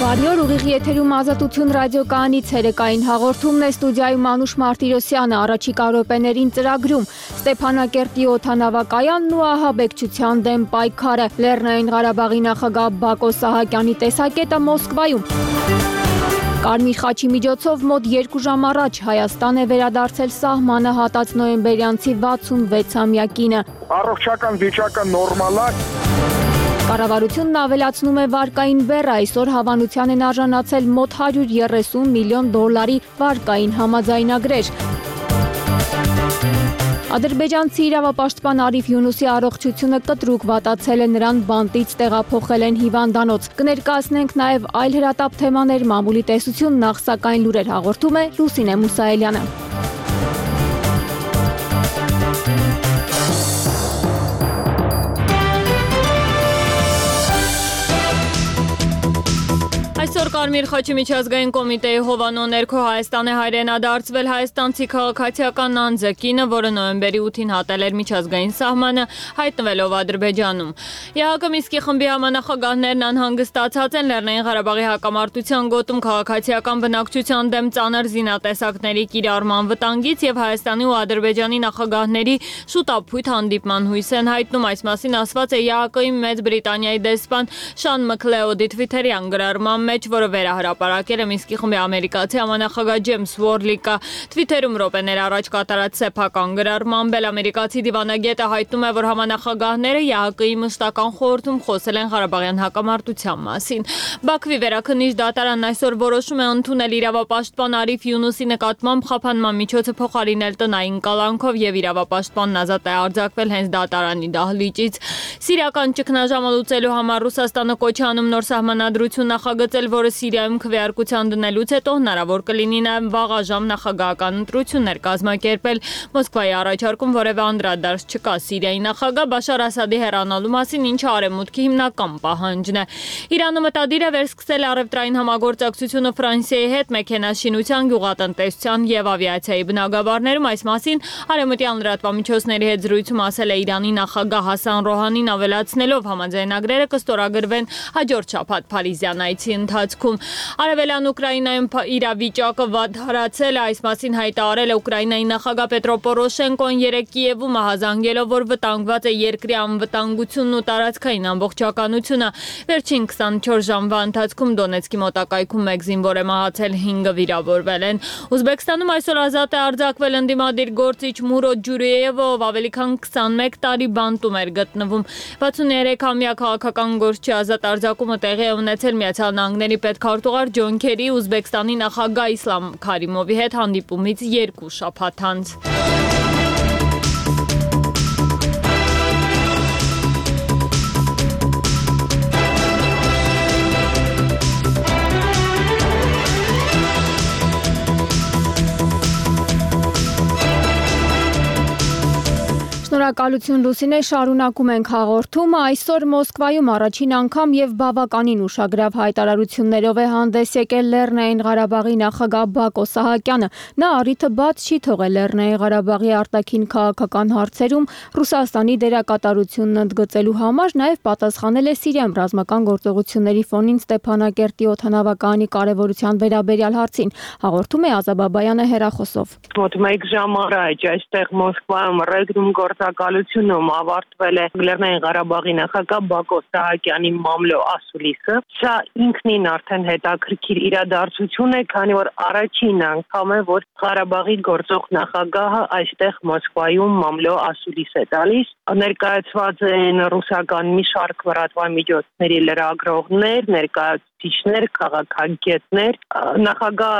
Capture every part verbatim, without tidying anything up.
Բարի օր, ուղիղ եթերում Ազատություն ռադիոկայանից ցերեկային հաղորդումն է, ստուդիայում Անուշ Մարտիրոսյանը, առաջիկա րոպեներին ծրագրում Ստեփանակերտի օդանավակայանն ու ահաբեկչության դեմ պայքարը, Լեռնային Ղարաբաղի նախագահ Բակո Սահակյանի տեսակետը Մոսկվայում։ Կարմիր խաչի միջոցով մոտ երկու ժամ առաջ Հայաստան է վերադարձել սահմանը հատած նոյեմբերյանցի վաթսունվեցամյակինը։ Առողջական վիճակը նորմալ է։ Կառավարությունն ավելացնում է վարկային բեռը, այսօր հավանության են արժանացել մոտ հարյուր երեսուն միլիոն դոլարի վարկային համաձայնագրեր։ Ադրբեջանցի իրավապաշտպան Արիֆ Յունուսի առողջությունը կտրուկ վատացել է, նրան բանտից տեղափոխել են հիվանդանոց։ Կներկայացնենք նաև այլ հրատապ թեմաներ, մամուլի տեսություն, նախ սակայն լուրեր հաղորդում է Լուսինե Մուսայելյանը։ Այսօր Կարմիր խաչի միջազգային կոմիտեի հովանու ներքո Հայաստան է հայրենադարձվել հայաստանցի քաղաքացիական անձը, կինը, որը նոյեմբերի ութին հատել էր միջազգային սահմանը, հայտնվելով Ադրբեջանում։ ԵԱՀԿ Մինսկի խմբի համանախագահներն անհանգստացած են Լեռնային Ղարաբաղի հակամարտության գոտում քաղաքացիական բնակչության դեմ ծանր զինատեսակների կիրառման վտանգից եւ Հայաստանի ու Ադրբեջանի նախագահների շուտապույտ հանդիպման հույս են հայտնում։ Այս մասին ասված է ԵԱՀԿ-ի Մեծ Բրիտանիայի դեսպան Շան Մքլեոդի Թվիթերյան գրառման մեջ, որը վերահրապարակել է Մինսկի խմբի ամերիկացի համանախագահ Ջեյմս Վորլիկը։ Թվիթերում րոպեներ առաջ կատարած սեփական գրառմամբ էլ ամերիկացի դիվանագետը հայտնում է, որ համանախագահները ԵԱՀԿ-ի մշտական խորհրդում խոսել են Ղարաբաղյան հակամարտության մասին։ Բաքվի վերաքննիչ դատարանն այսօր որոշում է ընդունել իրավապաշտպան Արիֆ Յունուսի նկատմամբ խափանման միջոցը փոխարինել տնային կալանքով եւ իրավապաշտպանն ազատ է արձակվել հենց դատարանի դահլիճից։ Սիրիական ճգնաժամը լուծելու համար Ռուսաստանը կոչ է անում նոր սահմանադրություն նախագծել, որը Սիրիայում քվեարկության դնելուց հետո հնարավոր կլինի նաև վաղաժամ նախագահական ընտրություններ կազմակերպել։ Մոսկվայի առաջարկում որևէ անդրադարձ չկա Սիրիայի նախագահ Բաշար Ասադի հեռանալու մասին, ինչը արևմուտքի հիմնական պահանջն է։ Իրանը մտադիր է վերսկսել առևտրային համագործակցությունը Ֆրանսիայի հետ մեքենաշինության, գյուղատնտեսության եւ ավիացիայի բնագավառներում։ Այս մասին արևմտյան լրատվամիջոցների հետ զրույցում ասել է Իրանի նախագահ Հասան Ռոհանին, ավելացնելով համաձայնագրերը կստորագրվեն հաջորդ շաբաթ Փարիզյան այցի ընթացքում։ Արևելյան Ուկրաինայում իրավիճակը վատթարացել է, այս մասին հայտարարել է Ուկրաինայի նախագահ Պետրո Պորոշենկոն երեկ Կիևում, ահազանգելով, որ վտանգված է երկրի անվտանգությունն ու տարածքային ամբողջականությունը։ Վերջին քսանչորս ժամվա ընթացքում Դոնեցկի մոտակայքում մեկ զինվոր է մահացել, հինգը վիրավորվել են։ Ուզբեկստանում այսօր ազատ է արձակվել ընդդիմադիր գործիչ Մուրոդ Ջուրիևը, ով ավելի քան քսանմեկ տարի բանտում էր գտնվում։ վաթսուններեքամյա քաղաքական գործչի ազատ արձակումը տեղի է ունեցել Միացյալ Նահանգների պետքարտուղար Ջոն Քերի Ուզբեկստանի նախագահ Իսլամ Քարիմովի հետ հանդիպումից երկու շաբաթ անց։ Շնորհակալություն Լուսինե, շարունակում ենք հաղորդումը։ Այսօր Մոսկվայում առաջին անգամ եւ բավականին ուշագրավ հայտարարություններով է հանդես եկել Լեռնային Ղարաբաղի նախագահ Բակո Սահակյանը։ Նա առիթը բաց չի թողել Լեռնային Ղարաբաղի արտաքին քաղաքական հարցերում Ռուսաստանի դերակատարությունն ընդգծելու համար, նաեւ պատասխանել է Սիրիայում ռազմական գործողությունների ֆոնին Ստեփանակերտի օդանավակայանի կարևորության վերաբերյալ հարցին։ Հաղորդում է Ազաբաբայանը հեռախոսով։ Մոտ մեկ ժամ առաջ այստեղ Մոսկվայում ռեգնում գործակալությունում ավարտվել է Լեռնային Ղարաբաղի նախագահ Բակո Սահակյանի մամլո ասուլիսը։ Սա ինքնին արդեն հետաքրքիր իրադարձություն է, քանի որ առաջին անգամ է, որ Ղարաբաղի գործող նախագահը այստեղ Մոսկվայում մամլո ասուլիս է տալիս։ Ներկայացված են ռուսական մի շարք լրատվամիջոցների լրագրողներ, ներկայացուցիչներ, քաղաքագետներ։ Նախագահ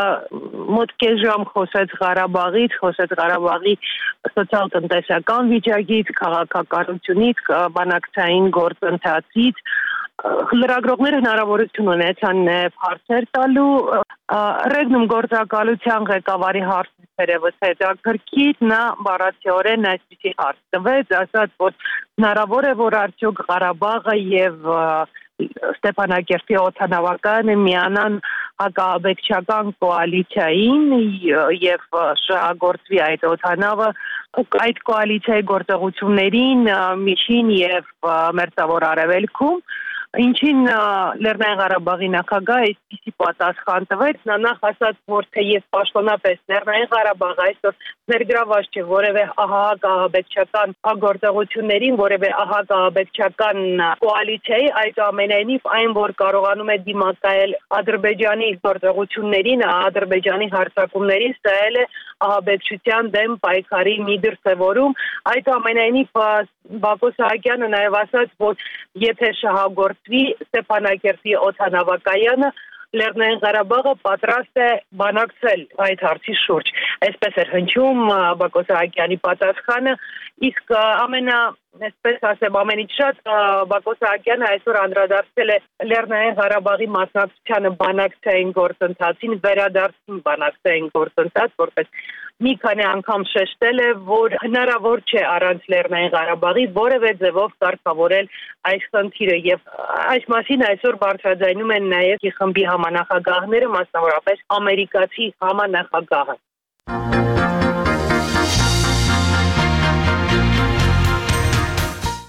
մոտ կես ժամ խոսեց Ղարաբաղից, խոսեց Ղարաբաղի սոցիալ-տնտեսական վիճակից, քաղաքականությունից, բանակցային գործընթացից։ Լրագրողները հնարավորություն ունեցան նաև հարցեր տալու։ Ռեգնում գործակալության ղեկավարի հարցը երևս հետաքրքիր, նա բառացիորեն այսպիսի հարց տվեց, ասաց, որ հնարավոր է, որ արդյոք Ղարաբաղը եւ Ստեփանակերտի օդանավակայանը միանան հակաաբեկչական կոալիցիային եւ շահագործվի այդ օդանավը այդ կոալիցիայի գործողություններին միջին եւ մերձավոր արևելքում։ Ինչին Լեռնային Ղարաբաղի նախագահը այսպիսի պատասխան տվեց, նա նախ ասաց, որ թեև պաշտոնապես Լեռնային Ղարաբաղը այսօր ներգրաված չէ որևէ ահաբեկչական գործողություններին, որևէ ահաբեկչական կոալիցիայի, այդուամենայնիվ այն, որ կարողանում է դիմակայել Ադրբեջանի գործողություններին, Ադրբեջանի հարձակումներին, սա էլ է ահաբեկչության դեմ պայքարի մի դրսևորում, այդուամենայնիվ Բակո Սահակյանը նաև ասաց, որ եթե շահագործվի Ստեփանակերտի օդանավակայանը, Լեռնային Ղարաբաղը պատրաստ է բանակցել այդ հարցի շուրջ։ Այսպես էր հնչում Բակո Սահակյանի պատասխանը, իսկ ամենա այսպես ասեմ, ամենից շատ Բակո Սահակյանը այսօր անդրադարձել է Լեռնային Ղարաբաղի մասնակցությանը բանակցային գործընթացին, վերադարձին բանակցային գործընթաց, որպես մի քանի անգամ շեշտել է, որ հնարավոր չէ առանց Լեռնային Ղարաբաղի որևէ ձևով կարգավորել այս խնդիրը եւ այս մասին այսօր բարձրաձայնում են նաեւ խմբի համանախագահները, մասնավորապես ամերիկացի համանախագահը։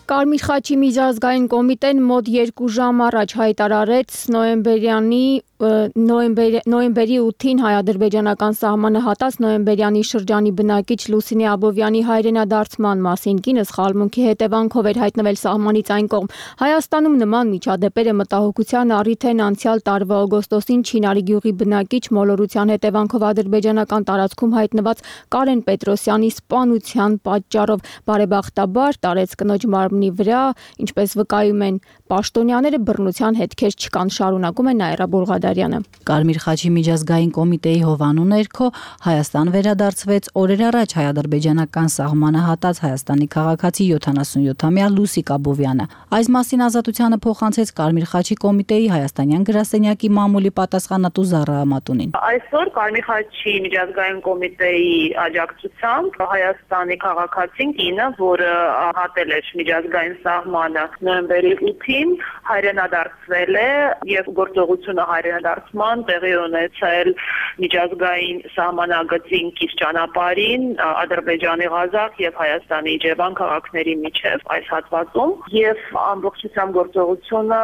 Կարմիր խաչի միջազգային կոմիտեն մոտ երկու ժամ առաջ հայտարարեց նոյեմբերյանի նոյեմբերի ութին հայ-ադրբեջանական սահմանը հատած նոյեմբերյանի շրջանի բնակիչ Լուսինե Աբովյանի հայրենադարձման մասին կինը սխալմունքի հետևանքով էր հայտնվել սահմանից այն կողմ։ Հայաստանում նման միջադեպերը մտահոգության առիթ են անցյալ տարվա օգոստոսին Չինարի գյուղի բնակիչ մոլորության հետևանքով ադրբեջանական տարածքում հայտնված Կարեն Պետրոսյանի սպանության պատճառով բարեբախտաբար տարեց կնոջ մարմնի վրա, ինչպես վկայում են պաշտոնյաները, բռնության հետքեր չկան, շարունակում է Նաիրա Բուլղադարյանը։ Կարմիր խաչի միջազգային կոմիտեի հովանու ներքո Հայաստան վերադարձվեց օրեր առաջ հայ-ադրբեջանական սահմանը հատած Հայաստանի քաղաքացի յոթանասունյոթամյա Լուսիկ Աբովյանը։ Այս մասին ազատությանը փոխանցեց Կարմիր խաչի կոմիտեի հայաստանյան գրասենյակի մամուլի պատասխանատու Զառա Ամատունին։ Այսօր Կարմիր խաչի միջազգային կոմիտեի աջակցությամբ Հայաստանի քաղաքացին կինը, որը հատել էր միջազգային սահմանը նոյեմբերի ութին, հայրենադարձվել է եւ գործողությունը հայրենադարձման տեղի ունեցել միջազգային սահմանագծին կից ճանապարհին Ադրբեջանի Ղազախ եւ Հայաստանի Իջևան քաղաքների միջև այս հատվածում եւ ամբողջությամբ գործողությունը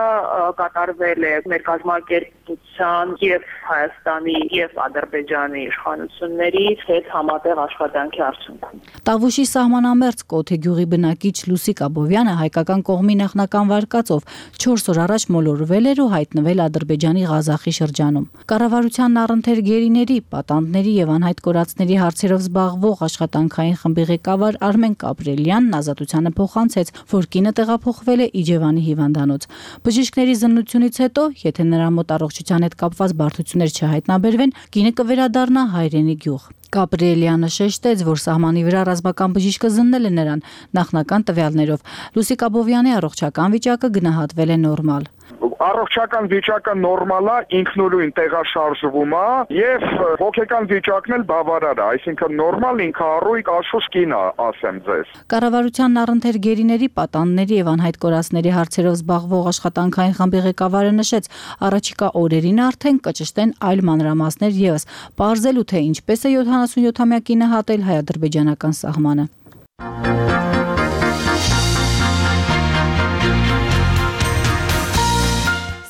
կատարվել է մեր կազմակերպության եւ Հայաստանի եւ Ադրբեջանի իշխանությունների հետ համատեղ աշխատանքի արդյունքում։ Տավուշի սահմանամերձ Կոթե գյուղի բնակիչ Լուսիկ Աբովյանը հայկական կողմի նախնական վարկածով չորս օր առաջ մոլորվել էր ու հայտնվել Ադրբեջանի Ղազախի շրջանում։ Կառավարությանն առընթեր գերիների, պատանդների եւ անհայտ կորածների հարցերով զբաղվող աշխատանքային խմբի ղեկավար Արմեն Կապրելյանն ազատությանը փոխանցեց, որ կինը տեղափոխվել է Իջևանի հիվանդանոց։ Բժիշկների զննությունից հետո, եթե նրա մոտ առողջության հետ կապված բարդություններ չհայտնաբերվեն, կինը կվերադառնա հայրենի գյուղ։ Կապրելյանը շեշտեց, որ սահմանի վրա ռազմական բժիշկը զննել է նրան նախնական տվյալներով։ Լուսիկ Աբովյանի առողջական վիճակը գնահատվել է նորմալ։ Առողջական վիճակը նորմալ է, ինքնուրույն տեղաշարժվում է եւ հոգեկան վիճակն էլ բավարար է, այսինքն նորմալ ինքնառույգ աշխուժ կին է, ասեմ ձեզ։ Կառավարությանն առընթեր գերիների, պատանդների եւ անհայտ կորածների հարցերով զբաղվող աշխատանքային խմբի ղեկավարը նշեց, առաջիկա օրերին արդեն կճշտեն այլ մանրամասներ եւս, պարզելու թե ինչպես է յոթանասունյոթամյա կինը հատել հայ-ադրբեջանական սահմանը։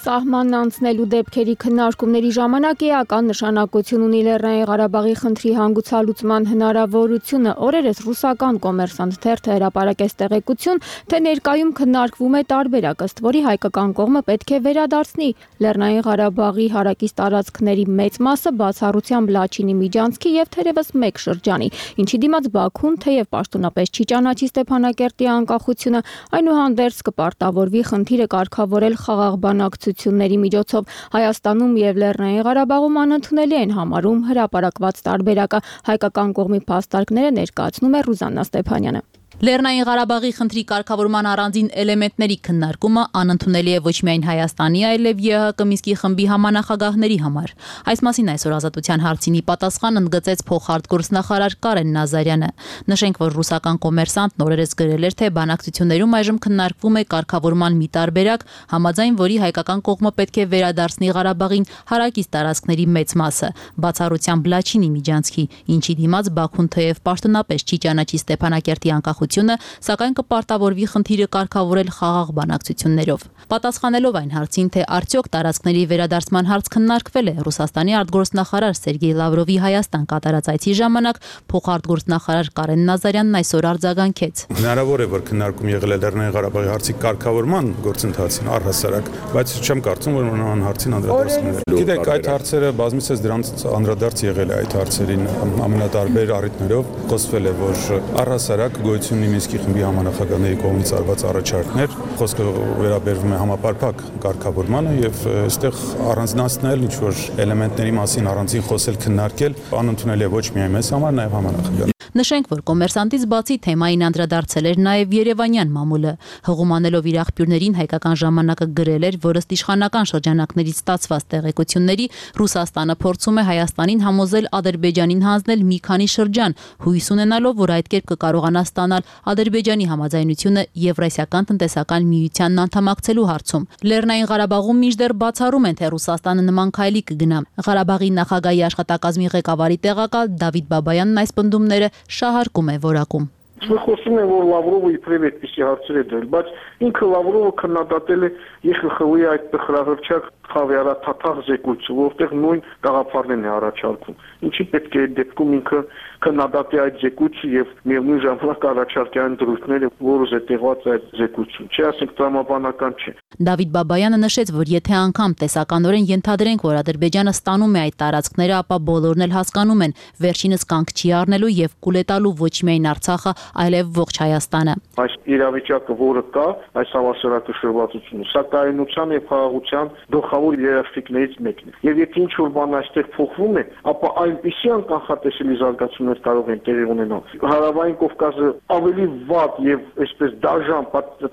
Սահմանն անցնելու դեպքերի քննարկումների ժամանակ էական նշանակություն ունի Լեռնային Ղարաբաղի խնդրի հանգուցալուծման հնարավորությունը։ Օրերս ռուսական կոմերսանտ թերթը հրապարակեց տեղեկություն, թե ներկայում քննարկվում է տարբերակ, ըստ որի հայկական կողմը պետք է վերադարձնի Լեռնային Ղարաբաղի հարակից տարածքների մեծ մասը բացառությամբ Լաչինի միջանցքի եւ թերևս մեկ շրջանի, ինչի դիմաց Բաքուն թեև պաշտոնապես չի ճանաչի Ստեփանակերտի անկախությունը, այնուհանդերձ կպարտավորվի խնդիրը կարգավորել խաղաղ բանակցությունների միջոցով։ Հայաստանում եւ Լեռնային Ղարաբաղում անընդունելի են համարում հրապարակված տարբերակը, հայկական կողմի փաստարկները ներկայացնում է Ռուզաննա Ստեփանյանը։ Լեռնային Ղարաբաղի խնդրի կարգավորման առանձին էլեմենտների քննարկումը անընդունելի է ոչ միայն Հայաստանի, այլև ԵՀԿ Մինսկի խմբի համանախագահների համար։ Այս մասին այսօր ազատության հարցինի պատասխան ընդգծեց փոխարտգործնախարար Կարեն Նազարյանը։ Նշենք, որ ռուսական կոմերսանտ նորերս գրել էր, թե բանակցություններում այժմ քննարկվում է կարգավորման մի տարբերակ, համաձայն որի հայկական կողմը պետք է վերադարձնի Ղարաբաղին հարակից տարածքների մեծ մասը, բացառությամբ Լաչինի միջանցքի, ինչի դիմաց Բաքուն թեև պաշտոնապես չի ճանաչի Ստեփանակերտի անկախ նախաձեռնությունը, սակայն կպարտավորվի խնդիրը կարգավորել խաղաղ բանակցություններով։ Պատասխանելով այն հարցին, թե արդյոք տարածքների վերադարձման հարց քննարկվել է, Ռուսաստանի արտգործնախարար Սերգեյ Լավրովի Հայաստան կատարած այցի ժամանակ փոխարտգործնախարար Կարեն Նազարյանն այսօր արձագանքեց. Հնարավոր է, որ քննարկում եղել է Լեռնային Ղարաբաղի հարցի կարգավորման գործընթացին առհասարակ, բայց չեմ կարծում, որ նման հարցին անդրադառնալու է։ Գիտեք, այդ հարցերը բազմիցս դրանց անդրադարձ եղել է այդ հարցերին ամենատարբեր առիթներով, խոսվել է, որ առհասարակ գոյություն ունի Մինսկի խմբի համանախագահների կողմից արված առաջարկներ, խոսքը վերաբերվում է համապարփակ կարգավորմանը եւ այստեղ առանձնացնել ինչ-որ էլեմենտների մասին առանձին խոսել, քննարկել անընդունել է ոչ միայն մեզ համար, նաեւ համանախագահ։ Նշենք, որ կոմերսանտից բացի թեմային անդրադարձել էր նաև Երևանյան մամուլը։ Հղումանելով իր աղբյուրներին հայկական ժամանակը գրել էր, որ ըստ իշխանական շրջանակներից ստացված տեղեկությունների Ռուսաստանը փորձում է Հայաստանին համոզել Ադրբեջանին հանձնել մի քանի շրջան, հույս ունենալով, որ այդ կերպ կկարողանա ստանալ Ադրբեջանի համաձայնությունը Եվրասիական տնտեսական միությանն անդամակցելու հարցում։ Լեռնային Ղարաբաղում մինչդեռ բացառում են, թե Ռուսաստանը նման քայլի կգնա։ Ղարաբաղի նախագահի աշխատակազմի ղեկավարի տեղակալ Դավիթ Բաբայանն այս պնդումները շահարկում է որակում։ Մենք խոսում ենք, որ Լավրովը իբրև այդպիսի հարցեր է դրել, բայց ինքը Լավրովը քննադատել է Ե Խ Խ Վ-ի այդ տխրահռչակ խավիարաթաթախ զեկույցը, որտեղ նույն գաղափարներն է առաջարկում։ Ինչի պետք է այդ դեպքում ինքը քննադատի այդ զեկույցը եւ միևնույն ժամանակ առաջարկի այն դրույթները, որը զետեղված է այդ զեկույցում։ Չի ասենք տրամաբանական չէ։ Դավիթ Բաբայանը նշեց, որ եթե անգամ տեսականորեն ենթադրենք, որ Ադրբեջանը ստանում է այդ տարածքները, ապա բոլորն էլ հասկանում են, վերջինս կանգ չի առնելու եւ կուլետալու ոչ միայն Արցախը, այլև ողջ Հայաստանը։ Այս իրավիճակը, որը կա, այս հավասարակշռվածությունը, սա կայունության եւ խաղաղության գլխավոր երաշխիքներից մեկն է։ Եվ եթե ինչ-որ բան այստեղ փոխվում է, ապա այնպիսի անկանխատեսելի զարգացումներ կարող են տեղի ունենալ։ Հարավային Կովկասը ավելի վատ եւ այսպես դաժան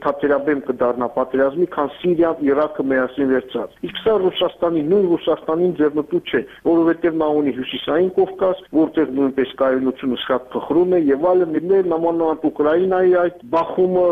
թատերաբեմ կդառնա պատերազմի, քան Սիրիան, Իրաքը միասին վերցած։ Իսկ սա Ռուսաստանի, նույն Ռուսաստանին ձեռնտու չէ, որովհետեւ նա ունի հյուսիսային Կովկաս, որտեղ նույնպես կայունությունը շատ փխրում է եւ այլն, նամանավանդ Ուկրաինայի այդ բախումը,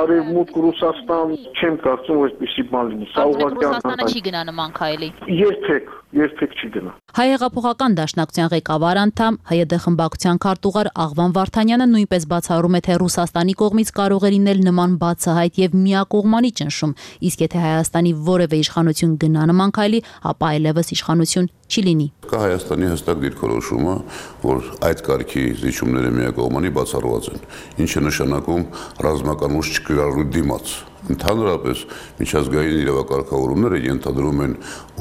արևմուտք Ռուսաստան, չեմ կարծում, որ այդպիսի բան լինի։ Սա ուղղակի Ռուսաստանը չի գնա նման քայլի։ Երբեք, երբեք չի գնա։ Հայեղափոխական դաշնակցության ղեկավար անդամ Հայ Դե խմբակցության քարտուղար Աղվան Վարդանյանը նույնպես բացառում է, թե Ռուսաստանի կողմից կարող է լինել նման բացահայտ եւ միակողմանի ճնշում, իսկ եթե Հայաստանի որևէ իշխանություն գնա նման քայլի, ապա այլևս իշխանություն չի լինի։ Կա Հայաստանի հստակ դիրքորոշումը, որ այդ կարգի զիջումները միակողմանի բացառված են, ինչը նշանակում ռազմական ուժ չկիրառելու դիմաց։ Ընդհանրապես միջազգային իրավակարգավորումները ենթադրում են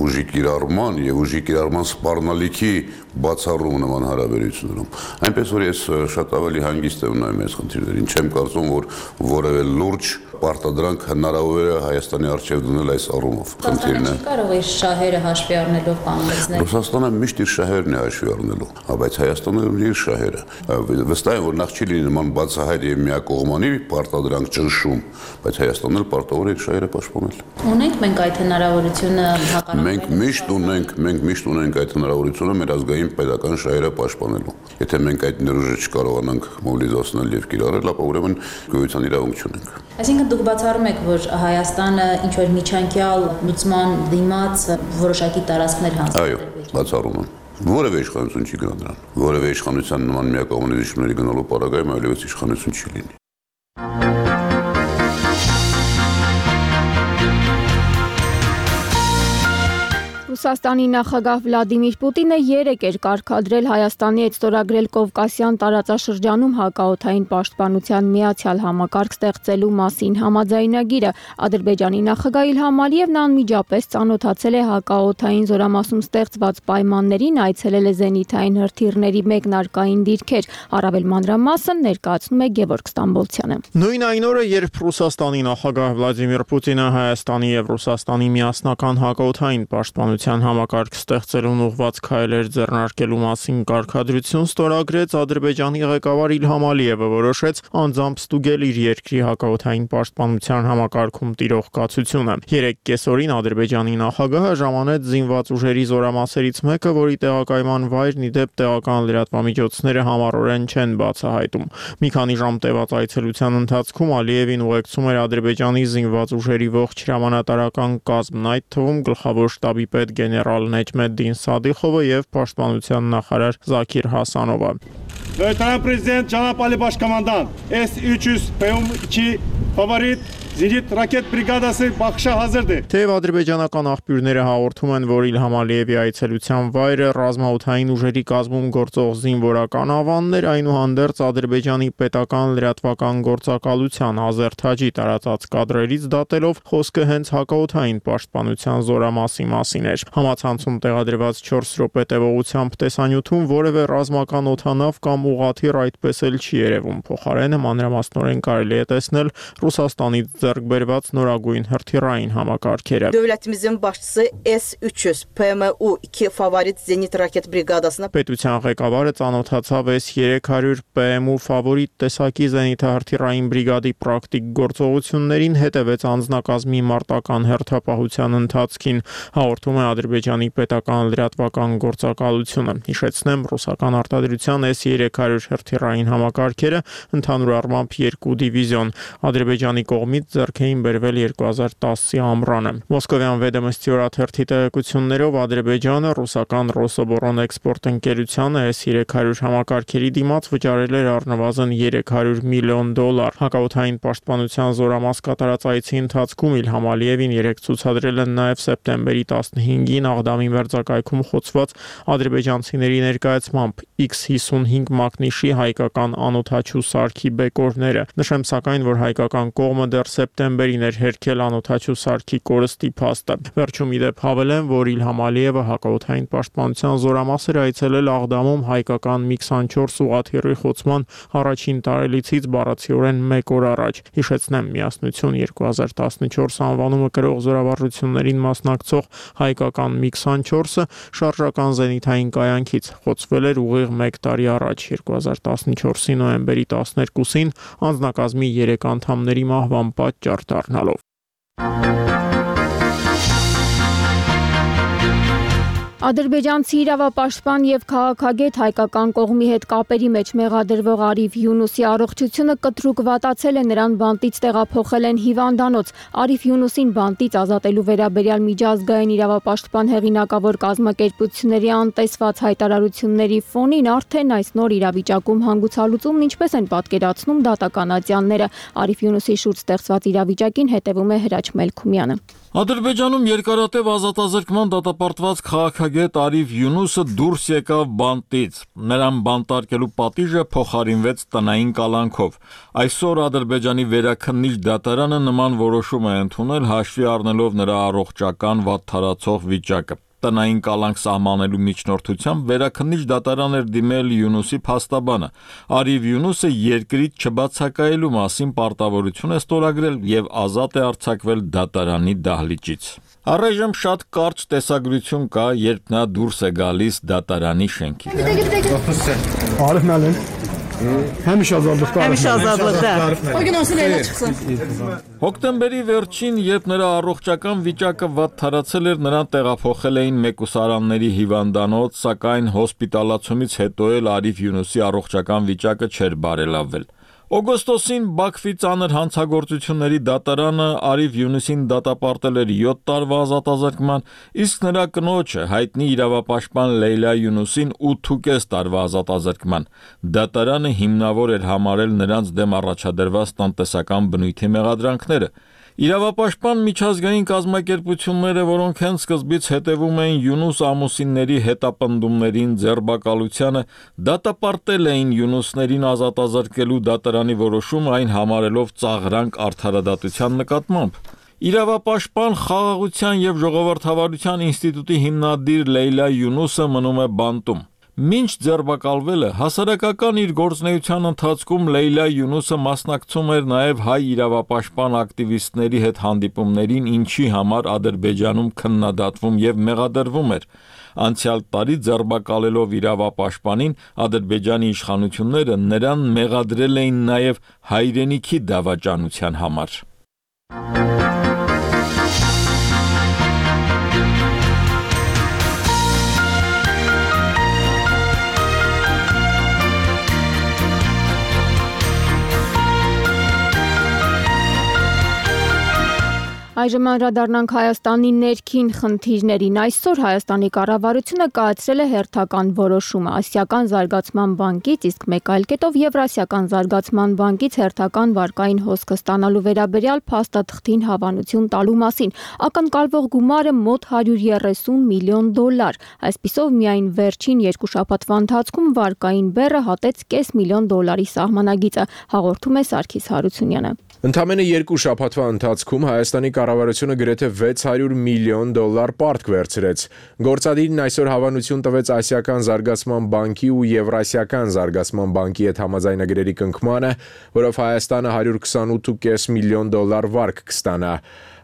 ուժի կիրառման եւ ուժի կիրառման սպառնալիքի բացառում նման հարաբերություններում։ Այնպես որ ես շատ ավելի հանգիստ եմ նայում այս խնդիրներին, չեմ կարծում, որ որևէ լուրջ պարտադրանք հնարավոր է Հայաստանի առջև դնել այս առումով։ Խնդիրն է։ Կարող է շահերը հաշվի առնելով կանգնեցնել։ Ռուսաստանը միշտ իր շահերն է հաշվի առնելու, բայց Հայաստանը ունի իր շահերը։ Վստահ եմ, որ նախ չի լինի նման բացահայտ եւ միակողմանի պարտադրանք ճնշում, բայց Հայաստանն էլ պարտավոր է իր շահերը պաշտպանել։ Ունենք մենք այդ հնարավորությունը հակառակ։ Մենք միշտ ունենք, մենք միշտ ունենք այդ հնարավորությունը մեր ազգային պետական շահերը պաշտպանելու։ Եթե մենք այդ ներուժը չկարողանանք մոբիլիզացնել եւ կիրառել, ապա ուրեմն գոյության իրավունք չունենք։ Այսինքն դուք բացառում եք, որ Հայաստանը ինչ որ միջանկյալ լուծման դիմաց որոշակի տարածքներ հանձնել։ Այո, բացառում եմ։ Որևէ իշխանություն չի գնա դրան։ Որևէ իշխանության նման միակողմանի զիջումների գնալու պարագայում այլևս իշխանություն չի լինի։ Ռուսաստանի նախագահ Վլադիմիր Պուտինը երեկ էր կարգադրել Հայաստանի հետ ստորագրել Կովկասյան տարածաշրջանում հակաօդային պաշտպանության միացյալ համակարգ ստեղծելու մասին համաձայնագիրը։ Ադրբեջանի նախագահ Իլհամ Ալիևն անմիջապես ծանոթացել է հակաօդային զորամասում ստեղծված պայմաններին, այցելել է զենիթային հրթիռների մեկնարկային դիրքեր։ Առավել մանրամասն ներկայացնում է Գևորգ Ստամբոլցյանը։ Նույն այն օրը, երբ Ռուսաստանի նախագահ Վլադիմիր Պուտինը Հայաստանի եւ Ռուսաստանի միասնական հակաօդային պաշտպանության համակարգ ստեղծելուն ուղղված քայլեր ձեռնարկելու մասին կարգադրություն ստորագրեց, Ադրբեջանի ղեկավար Իլհամ Ալիևը որոշեց անձամբ ստուգել իր երկրի հակաօդային պաշտպանության համակարգում տիրող կացությունը։ Երեք կեսօրին Ադրբեջանի նախագահը ժամանեց զինված ուժերի զորամասերից մեկը, որի տեղակայման վայրն ի դեպ տեղական լրատվամիջոցները համառորեն չեն բացահայտում։ Մի քանի ժամ տևած այցելության ընթացքում Ալիևին ուղեկցում էր Ադրբեջանի զինված ուժերի ողջ հրամանատարական կազմն, այդ թվում գլխավոր շտաբի պետ գեներալ Նեջմեդդին Սադիխովը եւ պաշտպանության նախարար Զաքիր Հասանովը։ Լեյտենանտ Պրեզիդենտ Ջանապ Ալի Բաշկոմանդան, էս üç yüz P M iki ֆավորիտ Զինիթ ռակետ բրիգադասը բախշա հազրդ է։ Թեև ադրբեջանական աղբյուրները հաղորդում են, որ Իլհամ Ալիևի այցելության վայրը ռազմաօդային ուժերի կազմում գործող զինվորական ավաններ, այնուհանդերձ Ադրբեջանի պետական լրատվական գործակալության Ազերթաջի տարածած կադրերից դատելով խոսքը հենց հակաօդային պաշտպանության զորամասի մասին էր։ Համացանցում տեղադրված չորս րոպե տևողությամբ տեսանյութում որևէ ռազմական օդանավ կամ ուղղաթիռ այդպես էլ չի երևում։ Փոխարենը մանրամասնորեն կարելի է տեսնել Ռուսաստանից ձեռք բերված նորագույն հրթիռային համակարգերը։ Դövlətimizin başçısı S üç yüz P M U iki favorit Zenit raket briqadasına Պետության ղեկավարը ծանոթացավ S երեք հարյուր P M U ֆավորիտ տեսակի զենիթահրթիռային բրիգադի պրակտիկ գործողություններին, հետևեց անձնակազմի մարտական հերթապահության ընթացքին, հաղորդում է Ադրբեջանի պետական լրատվական գործակալությունը։ Հիշեցնեմ, ռուսական արտադրության S երեք հարյուր հրթիռային համակարգերը ընդհանուր առմամբ երկու դիվիզիոն Ադրբեջանի կողմից ձեռք էին բերվել երկու հազար տասի ամռանը։ Մոսկովյան Վեդոմստի օրաթերթի տեղեկություններով Ադրբեջանը ռուսական Ռոսոբորոն էքսպորտ ընկերությանը S երեք հարյուր համակարգերի դիմաց վճարել էր առնվազն երեք հարյուր միլիոն դոլար։ Հակաօդային պաշտպանության զորամաս կատարած այցի ընթացքում Իլհամ Ալիևին երեկ ցուցադրել են նաև սեպտեմբերի տասնհինգին Աղդամի մերձակայքում խոցված ադրբեջանցիների ներկայացմամբ X հիսունհինգ մակնիշի հայկական անօդաչու սարքի բեկորները։ Նշեմ սակայն, որ հայկական կողմը դեռ սեպտեմբերին էր հերքել անօդաչու սարքի կորստի փաստը։ Վերջում իդեպ հավելեմ, որ Իլհամ Ալիևը հակաօդային պաշտպանության զորամաս էր այցելել Աղդամում հայկական մի քսանչորս ուղղաթիռի խոցման առաջին տարելիցից բառացիորեն մեկ օր առաջ։ Հիշեցնեմ, Միասնություն երկու հազար տասնչորս անվանումը կրող զորավարժություններին մասնակցող հայկական մի քսանչորսը շարժական զենիթային կայանքից խոցվել էր ուղիղ մեկ տարի առաջ, երկու հազար տասնչորսի նոյեմբերի տասներկուսին անձնակազմի երեք անդամների մահվան պատճառ դառնալով։ Ադրբեջանցի իրավապաշտպան եւ քաղաքագետ հայկական կողմի հետ կապերի մեջ մեղադրվող Արիվ Յունուսի առողջությունը կտրուկ վատացել է, նրան բանտից տեղափոխել են հիվանդանոց։ Արիվ Յունուսին բանտից ազատելու վերաբերյալ միջազգային իրավապաշտպան հեղինակավոր կազմակերպությունների անտեսված հայտարարությունների ֆոնին արդեն այս նոր իրավիճակում հանգուցալուծումն ինչպես են պատկերացնում դատականատյանները։ Արիվ Յունուսի շուրջ ստեղծված իրավիճակին հետևում է Հրաչ Մելքումյանը։ Ադրբեջանում երկարատև ազատազրկման դատապարտված քաղաքագետ Արիվ Յունուսը դուրս եկավ բանտից։ Նրան բանտարկելու պատիժը փոխարինվեց տնային կալանքով։ Այսօր Ադրբեջանի վերաքննիչ դատարանը նման որոշում է ընդունել, հաշվի առնելով նրա առողջական վատթարացող վիճակը։ Տնային կալանք սահմանելու միջնորդությամբ վերաքննիչ դատարան էր դիմել Յունուսի փաստաբանը։ Արիվ Յունուսը երկրից չբացակայելու մասին պարտավորություն է ստորագրել եւ ազատ է արձակվել դատարանի դահլիճից։ Առայժմ շատ կարճ տեսագրություն կա, երբ նա դուրս է գալիս դատարանի շենքից։ Həmişə azadlıqda. Həmişə azadlıqda. O gün olsun elə çıxsın. Հոկտեմբերի վերջին, երբ նրա առողջական վիճակը վատթարացել էր, նրան տեղափոխել էին մեկուսարանների հիվանդանոց, սակայն հոսպիտալացումից հետո էլ Արիվ Յունուսի առողջական վիճակը չէր բարելավվել։ Օգոստոսին Բաքվի ծանր հանցագործությունների դատարանը Արիվ Յունուսին դատապարտել էր յոթ տարվա ազատազրկման, իսկ նրա կնոջը հայտնի իրավապաշտպան Լեյլա Յունուսին ութ տարվա ազատազրկման։ Դատարանը հիմնավոր էր համարել նրանց դեմ առաջադրված տնտեսական բնույթի մեղադրանքները։ Իրավապաշտպան միջազգային կազմակերպությունները, որոնք հենց սկզբից հետևում էին Յունուս ամուսինների հետապնդումներին, ձերբակալությանը, դատապարտել էին Յունուսներին ազատազրկելու դատարանի որոշումը, այն համարելով ծաղրանք արդարադատության նկատմամբ։ Իրավապաշտպան Խաղաղության և ժողովրդավարության ինստիտուտի հիմնադիր Լեյլա Յունուսը մնում է բանտում։ Մինչ ձերբակալվելը հասարակական իր գործունեության ընթացքում Լեյլա Յունուսը մասնակցում էր նաև հայ իրավապաշտպան ակտիվիստների հետ հանդիպումներին, ինչի համար Ադրբեջանում քննադատվում եւ մեղադրվում էր։ Անցյալ տարի ձերբակալելով իրավապաշտպանին, Ադրբեջանի իշխանությունները նրան մեղադրել էին նաև հայրենիքի դավաճանության համար։ Այժմ անդրադառնանք Հայաստանի ներքին խնդիրներին։ Այսօր Հայաստանի կառավարությունը կայացրել է հերթական որոշումը Ասիական զարգացման բանկից, իսկ մեկ այլ կետով Եվրասիական զարգացման բանկից հերթական վարկային հոսքը ստանալու վերաբերյալ փաստաթղթին հավանություն տալու մասին։ Ակնկալվող գումարը մոտ հարյուր երեսուն միլիոն դոլար։ Այսպիսով միայն վերջին երկու շաբաթվա ընթացքում վարկային բեռը հատեց կես միլիոն դոլարի սահմանագիծը, հաղորդում է Սարգիս Հարությունյանը։ Ընդամենը երկու շաբաթվա ընթացքում Հայաստանի կառավարությունը գրեթե վեց հարյուր միլիոն դոլար պարտք վերցրեց։ Գործադիրն այսօր հավանություն տվեց Ասիական զարգացման բանկի ու Եվրասիական զարգացման բանկի հետ համաձայնագրերի կնքմանը, որով Հայաստանը հարյուր քսանութ կես միլիոն դոլար վարկ կստանա։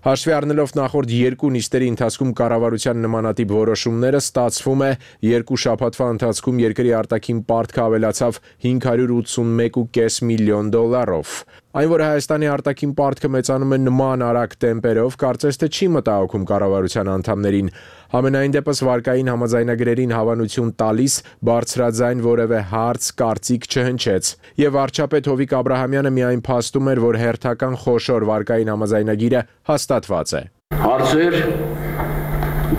Հաշվի առնելով նախորդ երկու նիստերի ընթացքում կառավարության նմանատիպ որոշումները, ստացվում է երկու շաբաթվա ընթացքում երկրի արտաքին պարտքը ավելացավ հինգ հարյուր ութսունմեկ կես միլիոն դոլարով։ Այն, որ Հայաստանի արտաքին պարտքը մեծանում է նման արագ տեմպերով, կարծես թե չի մտահոգում կառավարության անդամներին։ Համենայն դեպս վարկային համաձայնագրերին հավանություն տալիս բարձրաձայն որևէ հարց, կարծիք չհնչեց։ Եվ վարչապետ Հովիկ Աբրահամյանը միայն փաստում էր, որ հերթական խոշոր վարկային համաձայնագիրը հաստատված է։ Հարցեր,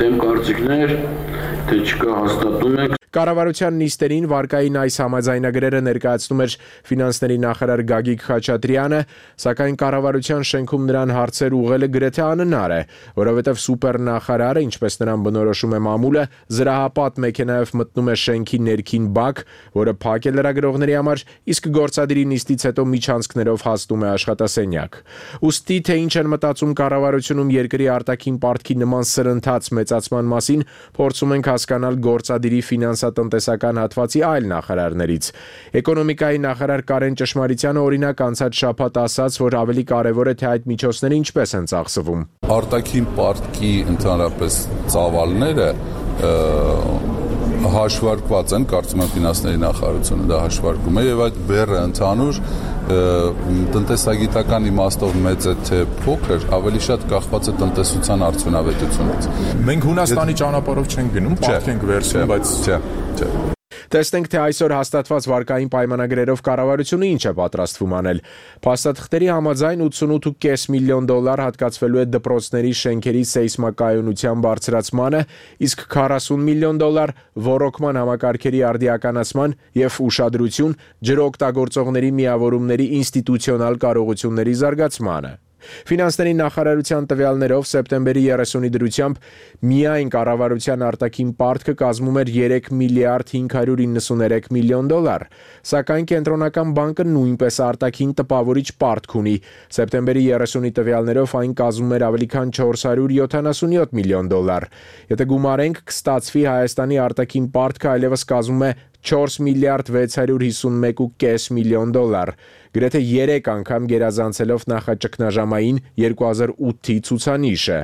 դեմ կարծիքներ, թե չկա հաստատում եք։ Կառավարության նիստերին վարկային այս համաձայնագրերը ներկայացնում էր ֆինանսների նախարար Գագիկ Խաչատրյանը, սակայն կառավարության շենքում նրան հարցեր ուղղելը գրեթե անհնար է, որովհետև սուպերնախարարը, ինչպես նրան բնորոշում է մամուլը, զրահապատ մեքենայով մտնում է շենքի ներքին բակ, որը փակ է լրագրողների համար, իսկ գործադիրի նիստից հետո միջանցքներով հասնում է աշխատասենյակ։ Ուստի թե ինչ են մտածում կառավարությունում երկրի արտաքին պարտքի նման սրընթաց մեծացման մասին, փորձում ենք հասկանալ գործադիրի ֆինանսատնտեսական հատվածի այլ նախարարներից։ Էկոնոմիկայի նախարար Կարեն Ճշմարիտյանը օրինակ անցած շաբաթ ասաց, որ ավելի կարևոր է թե այդ միջոցները ինչպես են ծախսվում։ Արտաքին պարտքի ընդհանրապես ծավալները հաշվարկված են, կարծում եմ ֆինանսների նախարարությունը դա հաշվարկում է եւ այդ բեռը ընդհանուր տնտեսագիտական իմաստով մեծ է թե փոքր, ավելի շատ կախված է տնտեսության արդյունավետությունից։ Մենք Հունաստանի ճանապարհով չենք գնում, պարտք ենք վերցնում, բայց չէ, չէ։ Տեսնենք, թե այսօր հաստատված վարկային պայմանագրերով կառավարությունը ինչ է պատրաստվում անել։ Փաստաթղթերի համաձայն ութսունութ կես միլիոն դոլար հատկացվելու է դպրոցների շենքերի սեյսմակայունության բարձրացմանը, իսկ քառասուն միլիոն դոլար ոռոգման համակարգերի արդիականացման եւ ուշադրություն ջրօգտագործողների միավորումների ինստիտուցիոնալ կարողությունների զարգացմանը։ Ֆինանսների նախարարության տվյալներով սեպտեմբերի երեսունի դրությամբ միայն կառավարության արտաքին պարտքը կազմում էր երեք միլիարդ հինգ հարյուր իննսուներեք միլիոն դոլար, սակայն կենտրոնական բանկը նույնպես արտաքին տպավորիչ պարտք ունի։ Սեպտեմբերի երեսունի տվյալներով այն կազմում էր ավելի քան չորս հարյուր յոթանասունյոթ միլիոն դոլար։ Եթե գումարենք, կստացվի Հայաստանի արտաքին պարտքը այլևս կազմում է չորս միլիարդ վեց հարյուր հիսունմեկ կես միլիոն դոլար, գրեթե երեք անգամ գերազանցելով նախաճգնաժամային երկու հազար ութի ցուցանիշը։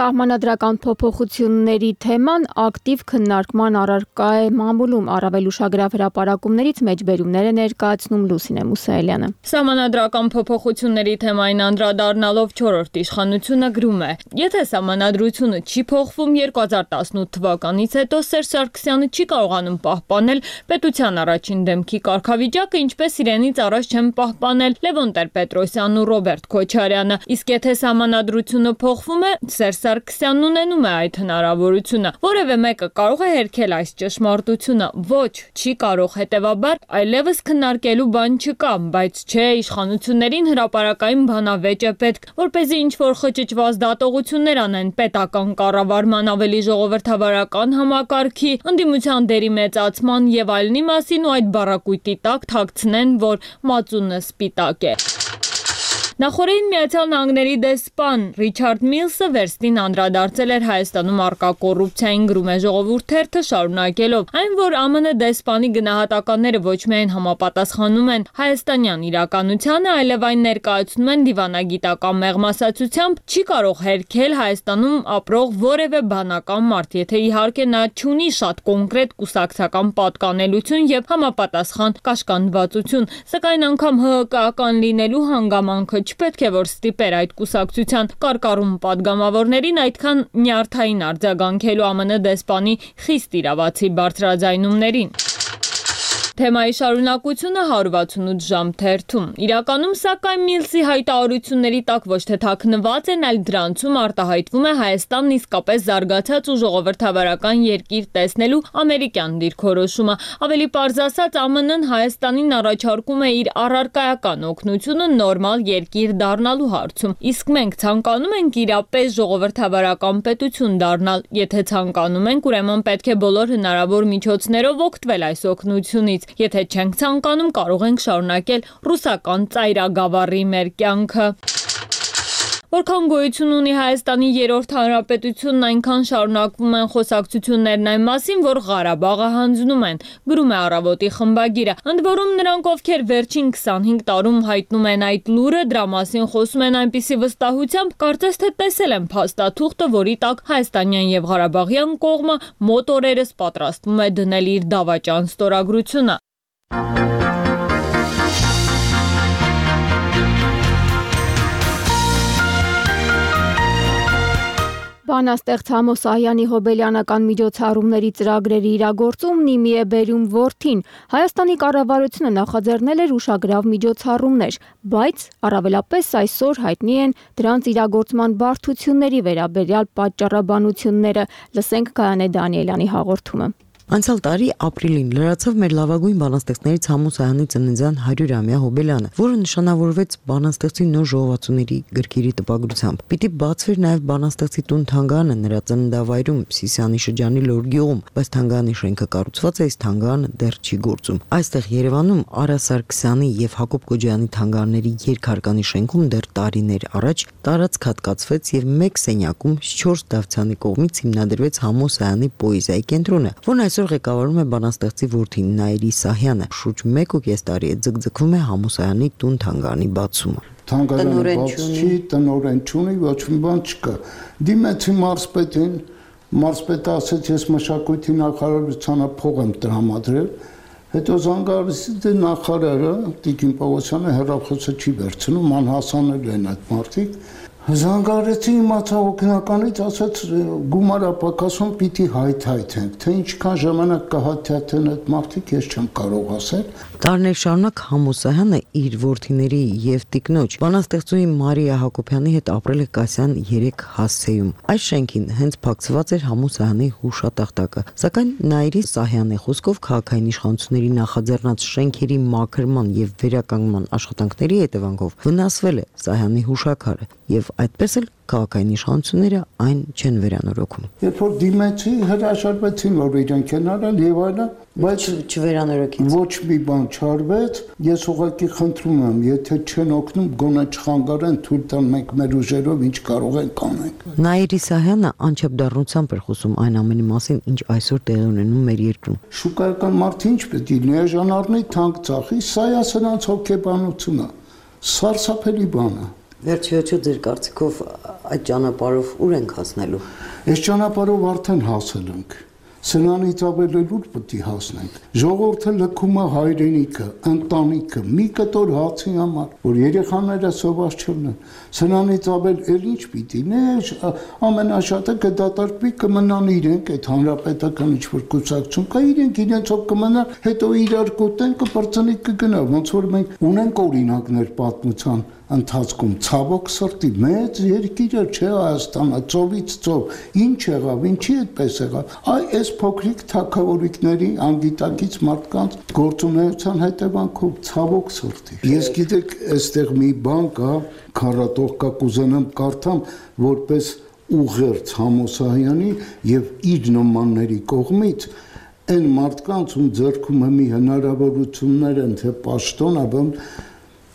Սահմանադրական փոփոխությունների թեման ակտիվ քննարկման առարկա է մամուլում, առավել ուշագրավ հրապարակումներից մեջբերումներ է ներկայացնում Լուսինե Մուսայելյանը։ Սահմանադրական փոփոխությունների թեմային անդրադառնալով չորրորդ իշխանությունը գրում է. Եթե սահմանադրությունը չի փոխվում երկու հազար տասնութ թվականից հետո Սերժ Սարգսյանը չի կարողանում պահպանել պետության առաջին դեմքի կարգավիճակը, ինչպես իրենից առաջ չեն պահպանել Լևոն Տեր-Պետրոսյանն ու Ռոբերտ Քոչարյանը, իսկ եթե սահմանադրությունը փոխվում է, Սերժ Սարգսյանն ունենում է այդ հնարավորությունը։ Որևէ մեկը կարող է հերքել այս ճշմարտությունը։ Ոչ, չի կարող, հետևաբար այլևս քննարկելու բան չկա, բայց չէ, իշխանություններին հրապարակային բանավեճ է պետք, որպեսզի ինչ-որ խճճված դատողություններ անեն պետական կառավարման ավելի ժողովրդավարական համակարգի, ընդդիմության դերի մեծացման եւ այլնի մասին ու այդ բառակույտի տակ թաքցնեն, որ մածունը սպիտակ է։ Նախորդին Միացյալ Նահանգների դեսպան Ռիչարդ Միլսը վերստին անդրադարձել էր Հայաստանում առկա կոռուպցիային, գրում է Ժողովուրդ թերթը, շարունակելով. այն, որ ԱՄՆ դեսպանի գնահատականները ոչ միայն համապատասխանում են հայաստանյան իրականությանը, այլև այն ներկայացնում են դիվանագիտական մեղմասացությամբ, չի կարող հերքել Հայաստանում ապրող որևէ բանական մարդ, եթե իհարկե նա չունի շատ կոնկրետ կուսակցական պատկանելություն եւ համապատասխան կաշկանդվածություն, սակայն անգամ ՀՀԿ-ական լինելու հանգամանքը չպետք է որ ստիպեր այդ կուսակցության կարկառում պատգամավորներին այդքան նյարդային արձագանքելու ԱՄՆ դեսպանի խիստ իրավացի բարձրաձայնումներին։ Թեմայի շարունակությունը հարյուր վաթսունութ ժամ թերթում։ Իրականում, սակայն, Միլսի հայտարարությունների տակ ոչ թե թաքնված են, այլ դրանցում արտահայտվում է Հայաստանն իսկապես զարգացած ու ժողովրդավարական երկիր տեսնելու ամերիկյան դիրքորոշումը։ Ավելի պարզ ասած, ԱՄՆ-ն Հայաստանին առաջարկում է իր առարկայական օգնությունը նորմալ երկիր դառնալու հարցում։ Իսկ մենք ցանկանում ենք իրապես ժողովրդավարական պետություն դառնալ։ Եթե ցանկանում ենք, ուրեմն պետք է բոլոր հնարավոր միջոցներով օգտվել այս օգնությունից։ Եթե չենք ցանկանում, կարող ենք շարունակել ռուսական ծայրագավառի մեր կյանքը։ Որքան գոյություն ունի Հայաստանի երրորդ հանրապետությունն, այնքան շարունակվում են խոսակցություններն այն մասին, որ Ղարաբաղը հանձնում են, գրում է Առավոտի խմբագիրը։ Ընդ որում նրանք, ովքեր վերջին քսանհինգ տարում հայտնում են այդ լուրը, դրա մասին խոսում են այնպիսի վստահությամբ, կարծես թե տեսել են փաստաթուղթը, որի տակ հայաստանյան եւ ղարաբաղյան կողմը մոտ օրերս պատրաստվում է դնել իր դավաճան ստորագրությունը։ Բանաստեղծ Համոս Ահյանի հոբելյանական միջոցառումների ծրագրերի իրագործումն իմի է բերում որդին։ Հայաստանի կառավարությունը նախաձեռնել էր ուշագրավ միջոցառումներ, բայց առավելապես այսօր հայտնի են դրանց իրագործման բարդությունների վերաբերյալ պատճառաբանությունները։ Լսենք Գայանե Դանիելյանի հաղորդումը։ Անցյալ տարի ապրիլին լրացավ մեր լավագույն բանաստեղծներից Համոս Ահյանի ծննդյան հարյուրամյա հոբելյանը, որը նշանավորվեց բանաստեղծի նոր ժողովածուների գրքերի տպագրությամբ։ Պիտի բացվեր նաև բանաստեղծի տուն թանգարանը նրա ծննդավայրում Սիսիանի շրջանի Լորգյուղում, բայց թանգարանի շենքը կառուցված է, իսկ թանգարանը դեռ չի գործում։ Այստեղ Երևանում Արա Սարգսյանի եւ Հակոբ Կոջյանի թանգարների երկհարկանի շենքում դեռ տարիներ առաջ տարածք հատկացվեց եւ մեկ սենյակում չորս Դավթյանի կողմից հիմնադրվեց Համոս Ահյանի պոեզիայի կենտրոնը, որն այսօր ղեկավարում է բանաստեղծի որդին Նաիրի Սահյանը։ Շուրջ մեկ ու կես տարի է ձգձգվում է Համոս Ահյանի տուն թանգարանի բացումը։ Թանգարանը բաց չի, տնօրեն չունի, ոչ մի բան չկա։ Դիմեցի մարզպետին, մարզպետը ասաց, ես մշակույթի նախարարությանը փող եմ տրամադրել, հետո զանգարեցի նախարարը Տիկին Պողոսյանը հեռախոսը չի վերցնում, անհասանել են այդ մարդիկ։ Զանգարեցի իմացա օգնականից, ասաց գումարապակասում պիտի հայթայթենք, թե ինչքան ժամանակ կհայթայթեն այդ մարդիկ, ես չեմ կարող ասել։ Տարիներ շարունակ Համոս Ահյանը իր որդիների եւ տիկնոջ բանաստեղծուհի Մարիա Հակոբյանի հետ ապրել է Կասյան երեք հասցեում։ Այս շենքին հենց փակցված էր Համոս Ահյանի հուշատախտակը, սակայն Նաիրի Սահյանի խոսքով քաղաքային իշխանությունների նախաձեռնած շենքերի մաքրման եւ վերականգնման աշխատանքների հետևանքով վնասվել է Սահյանի հուշաքարը եւ այդպես էլ քաղաքային իշխանությունները այն չեն վերանորոգում։ Երբ որ դիմեցի, հրաժարվեցին, որ իրենք են արել եւ այլն, բայց չվերանորոգեցին։ Ոչ մի բան չարվեց, ես ուղղակի խնդրում եմ, եթե չեն օգնում, գոնե չխանգարեն, թույլ տան մենք մեր ուժերով ինչ կարող ենք անենք։ Նաիրի Սահյանը անչափ դառնությամբ էր խոսում այն ամենի մասին, ինչ այսօր տեղի ունենում մեր երկրում։ Շուկայական մարդը ինչ պետք է էժան առնի, թանկ ծախի, սա է սրանց հոգեբանությունը։ Սարսափելի բան է։ Վերջիոչու ձեր կարծիքով այդ ճանապարհով ուր ենք հասնելու։ Այս ճանապարհով արդեն հասել ենք։ Սրանից ավել ուր պետք է հասնենք։ Ժողովուրդը լքում է հայրենիքը, ընտանիքը, մի կտոր հացի համար, որ երեխաները սոված չլինեն։ Սրանից ավել էլ ինչ պիտի։ Նեջ ամենաշատը կդատարկվի կմնան իրենք այդ հանրապետական ինչ-որ կուսակցություն կա, իրենք իրենցով կմնան, հետո իրար կուտեն, կպրծնի կգնա, ոնց որ մենք ունենք օրինակներ պատմության ընթացքում, ցավոք սրտի մեծ երկիրը չէ Հայաստանը, ծովից ծով, ինչ եղավ, ինչի այդպես եղավ։ Այ այս փոքրիկ թագավորիկների անգիտակից մարդկանց գործունեության հետևանքով ցավոք սրտի։ Ես գիտեք, այստեղ մի բան կա, քառատող կա, կուզենամ կարդամ, որպես ուղերձ Համոս Ահյանի եւ իր նմանների կողմից այն մարդկանց, ում ձեռքում է մի հնարավորություններ են, թե պաշտոն, ապա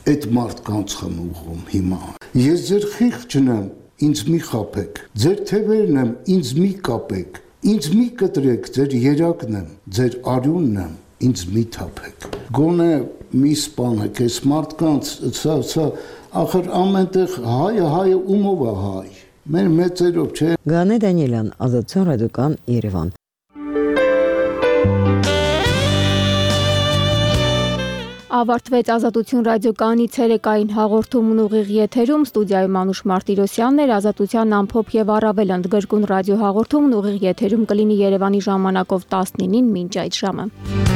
այդ մարդկանց եմ ուղղում հիմա։ Ես ձեր խիղճն եմ, ինձ մի խաբեք, ձեր թևերն եմ, ինձ մի կապեք, ինձ մի կտրեք, ձեր երակն եմ, ձեր արյունն եմ, ինձ մի թափեք։ Գոնե մի սպանեք այս մարդկանց, սա, սա, ախր ամենտեղ հայը, հայը ումով է հայ, մեր մեծերով չէ։ Գայանե Դանիելյան, Ազատություն ռադիոկան, Երևան։ Ավարտվեց Ազատություն ռադիոկայանի ցերեկային հաղորդումն ուղիղ եթերում ստուդիայում Անուշ Մարտիրոսյանն էր, Ազատության ամփոփ եւ առավել ընդգրկուն ռադիո հաղորդումն ուղիղ եթերում կլինի Երևանի ժամանակով տասնինին մինչ այդ ժամը։